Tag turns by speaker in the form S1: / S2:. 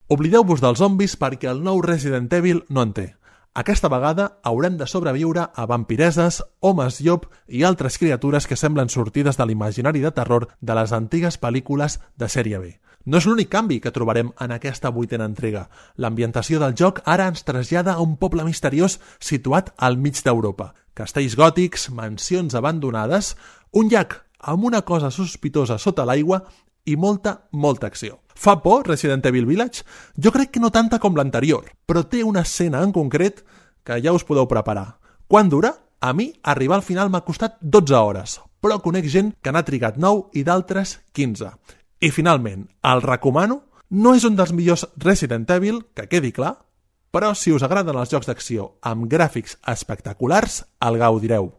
S1: Oblideu-vos dels zombis perquè el nou Resident Evil no en té. Aquesta vegada haurem de sobreviure a vampireses, homes llop i altres criatures que semblen sortides de l'imaginari de terror de les antigues pel·lícules de sèrie B. No és l'únic canvi que trobarem en aquesta 8a entrega. L'ambientació del joc ara ens trasllada a un poble misteriós situat al mig d'Europa. Castells gòtics, mansions abandonades, un llac amb una cosa sospitosa sota l'aigua i molta acció. Fa por Resident Evil Village? Jo crec que no tanta com l'anterior, però té una escena en concret que ja us podeu preparar. Quant dura? A mi, arribar al final m'ha costat 12 hores, però conec gent que n'ha trigat 9 i d'altres 15. I finalment, el recomano? No és un dels millors Resident Evil, que quedi clar, però si us agraden els jocs d'acció amb gràfics espectaculars, el gaudireu.